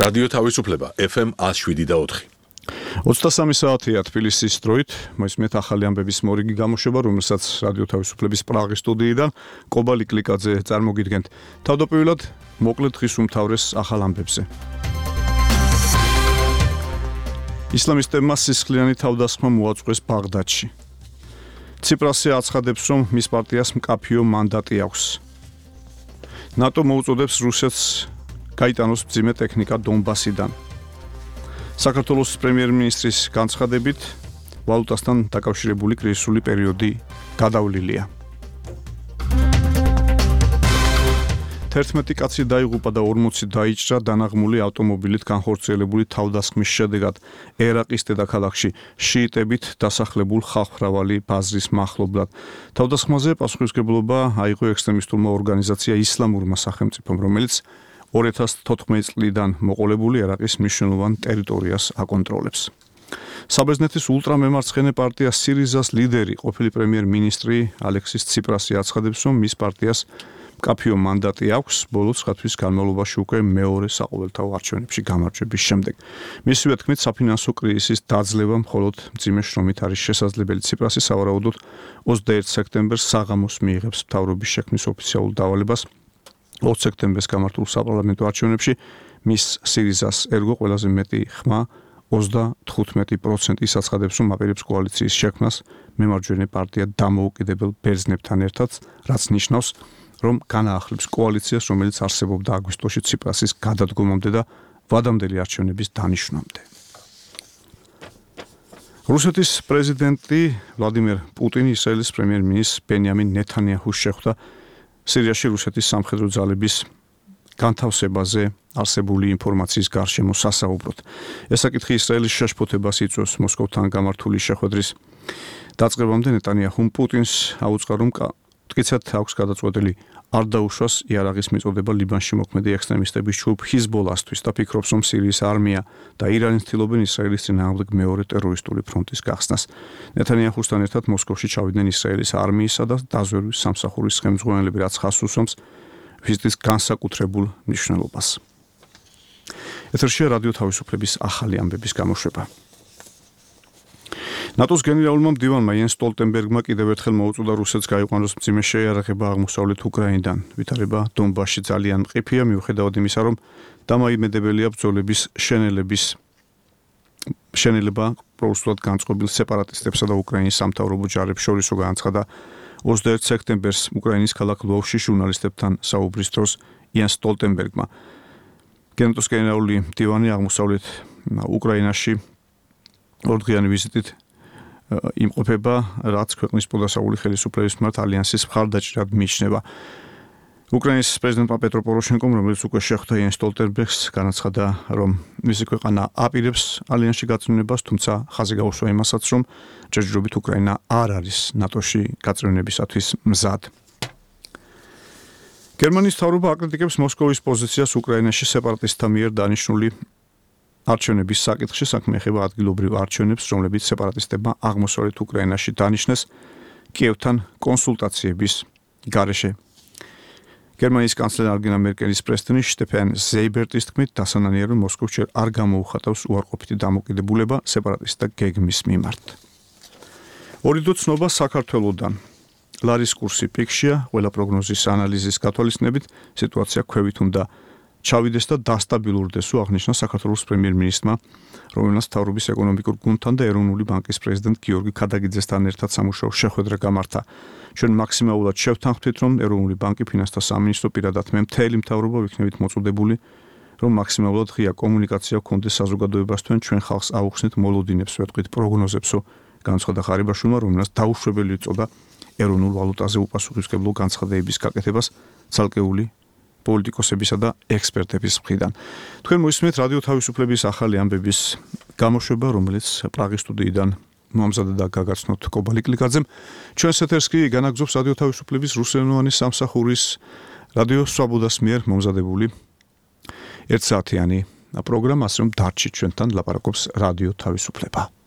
რადიო თავისუფლება FM 107.4. 23 საათია თბილისის დროით, მოისმენთ ახალი ამბების მორიგი გამოშვება, რომელსაც რადიო თავისუფლების პრაღის სტუდიიდან კობალი კლიკაძე წარმოგიდგენთ. თავდაპირველად მოკლედ დღის უმთავრეს ახალ ამბებზე. ისლამისტებმა სისხლიანი თავდასხმა მოაწყვეს ბაღდადში. ციპრასი აცხადებს, რომ მის პარტიას მკაფიო მანდატი აქვს. ნატო მოუწოდებს რუსეთს გაიტანოს მძიმე ტექნიკა დონბასიდან. საქართველოს პრემიერ-მინისტრის განცხადებით, ვალუტასთან დაკავშირებული კრიზისული პერიოდი გადავლილია. 11 კაცი დაიღუპა და 40 დაიჭრა დანაღმული ავტომობილით განხორციელებული თავდასხმის შედეგად ერაყის დედაქალაქში შიიტებით დასახლებულ ხალხმრავალი ბაზრის მახლობლად. თავდასხმაზე პასუხისმგებლობა აიღო ექსტრემისტულმა ორგანიზაცია ისლამურმა სახელმწიფომ, რომელიც 2014 წლიდან მოყოლებული ერაყის მნიშვნელოვან ტერიტორიას აკონტროლებს. საბერძნეთის ულტრამემარცხენე პარტია სირიზას ლიდერი, ყოფილი პრემიერ-მინისტრი ალექსის ციპრასი აცხადებს, რომ მის პარტიას მკაფიო მანდატი აქვს ბოლო 9 თვის განმავლობაში უკვე მეორე საყოველთაო არჩევნებში გამარჯვების შემდეგ. მისივე თქმით, საფინანსო კრიზისის დაძლევა მხოლოდ მძიმე შრომით არის შესაძლებელი. ციპრასი სავარაუდოდ 21 სექტემბერს საღამოს მიიღებს მთავრობის შექმნის ოფიციალურ დავალებას. 20 სექტემბერს გამართულ საპარლამენტო არჩევნებში მის სირიზას ერგო ყველაზე მეტი ხმა 35% აცხადებს, რომ აპირებს კოალიციის შექმნას მემარჯვენე პარტია დამოუკიდებელ ბერძნებთან ერთად, რაც ნიშნავს, რომ განაახლებს კოალიციას, რომელიც არსებობდა აგვისტოში ციპრასის გადადგომამდე და ვადამდელი არჩევნების დანიშვნამდე. რუსეთის პრეზიდენტი ვლადიმერ პუტინი ისრაელის პრემიერ-მინისტრ ბენიამინ ნეთანიაჰუს შეხვდა სირიაში რუსეთის სამხედრო ძალების განთავსებაზე არსებული ინფორმაციის გარშემო სასაუბროდ. ეს საკითხი ისრაელის შეშფოთებას იწვევს მოსკოვთან გამართული შეხვედრის დაწყებამდე ნეტანიაჰუმ პუტინს აუწყა, რომ მტკიცედ აქვს გადაწყვეტილი არ დაუშვას იარაღის მიწოდება ლიბანში მოქმედი ექსტრემისტების ჯგუფ ჰიზბოლასთვის და ფიქრობს, რომ სირიის არმია და ირანი ცდილობენ ისრაელის წინააღმდეგ მეორე ტერორისტული ფრონტის გახსნას. ნეთანიაჰუსთან ერთად მოსკოვში ჩავიდნენ ისრაელის არმიისა და დაზვერვის სამსახურის ხელმძღვანელები, რაც ხაზს უსვამს ვიზიტის განსაკუთრებულ მნიშვნელობას. ეთერშია რადიო თავისუფლების ახალი ამბების გამოშვება. ნატოს გენერალურმა მდივანმა იენს სტოლტენბერგმა კიდევ ერთხელ მოუწოდა რუსეთს გაიყვანოს მძიმე შეიარაღება აღმოსავლეთ უკრაინიდან. ვითარება დონბასში ძალიან მყიფეა, მიუხედავად იმისა, რომ დამაიმედებელია ბრძოლების შენელება პროუსულად განწყობილ სეპარატისტებსა და უკრაინის სამთავრობო ჯარებს შორისო განაცხადა 21 სექტემბერს უკრაინის ქალაქ ლვოვში ჟურნალისტებთან საუბრის დროს იენს სტოლტენბერგმა. ნატოს გენერალური მდივანი აღმოსავლეთ უკრაინაში ორდღიანი ვიზიტით იმყოფება, რაც ქვეყნის პოდასაული ხელისუფლების მიმართ ალიანსის მხარდაჭერად მიიჩნევა. უკრაინის პრეზიდენტმა პეტრო პოროშენკომ, რომელიც უკვე შეხვდა იენს სტოლტენბერგს, განაცხადა, რომ მისი ქვეყანა აპირებს ალიანსში გაწევნებას, თუმცა ხაზი გაუსვა იმასაც, რომ ჯერჯერობით უკრაინა არ არის ნატოში გაწევნებისათვის მზად. გერმანიის მთავრობა აკრიტიკებს მოსკოვის პოზიციას უკრაინაში სეპარატისტთა მიერ დანიშნული არჩევნების საკითხში. საქმე ეხება ადგილობრივ არჩევნებს, რომლებიც სეპარატისტებმა აღმოსავლეთ უკრაინაში დანიშნეს კიევთან კონსულტაციების გარეშე. გერმანიის კანცლერ ანგელა მერკელის პრესტენი შტეფან ზეიბერტის თქმით, დასანანია, რომ მოსკოვს ჯერ არ გამოუხატავს უარყოფითი დამოკიდებულება სეპარატისტთა გეგმის მიმართ. ორი ცნობა საქართველოდან. ლარის კურსი პიკშია, ყველა პროგნოზის ანალიზის გათვალისწინებით სიტუაცია ქვევით უნდა ჩავიდეს და დასტაბილურდეს, აღნიშნა საქართველოს პრემიერ-მინისტრმა, რომელმაც მთავრობის ეკონომიკურ გუნდთან და ეროვნული ბანკის პრეზიდენტ გიორგი ქადაგიძესთან ერთად სამუშაო შეხვედრა გამართა. ჩვენ მაქსიმალურად შევთანხმდით, რომ ეროვნული ბანკი, ფინანსთა სამინისტრო პირადად მე მთელი მთავრობა ვიქნებით მოწოდებული, რომ მაქსიმალურად ღია კომუნიკაცია გქონდეს საზოგადოებასთან, ჩვენ ხალხს აუხსნით მოლოდინებს, ვეთქვით პროგნოზებსო, განცხადა ხარიბაშვილმა, რომელმაც დაუშვებელი ეწოდა ეროვნულ ვალუტაზე უპასუხისმგებლო განცხადებების გაკეთებას ცალკეული პოლიტიკოსებისა და ექსპერტების მხრიდან. თქვენ მოისმენთ რადიო თავისუფლების ახალი ამბების გამოშვება, რომელიც პრაღის სტუდიიდან მომზადდა და გაგაცნოთ კობალი კლიკაძემ. ჩვენს ეთერს კი განაგრძობს რადიო თავისუფლების რუსულენოვანი სამსახურის რადიო სვაბოდას მიერ მომზადებული 1 საათიანი პროგრამა, ასე რომ დარჩით ჩვენთან, ლაპარაკობს რადიო თავისუფლება.